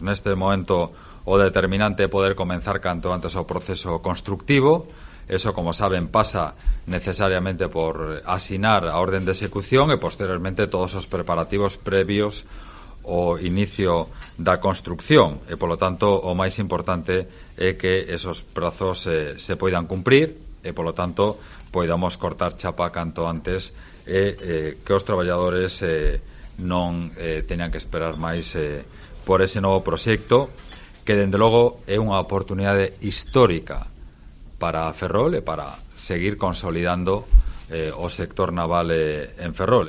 Neste momento o determinante é poder comenzar canto antes o proceso constructivo. Eso, como saben, pasa necesariamente por asinar a orden de execución e posteriormente todos os preparativos previos ao inicio da construcción e, polo tanto, o máis importante é que esos prazos se poidan cumprir e, polo tanto, poidamos cortar chapa canto antes e que os traballadores non teñan que esperar máis por ese novo proxecto que, dende logo, é unha oportunidade histórica para Ferrol e para seguir consolidando o sector naval en Ferrol.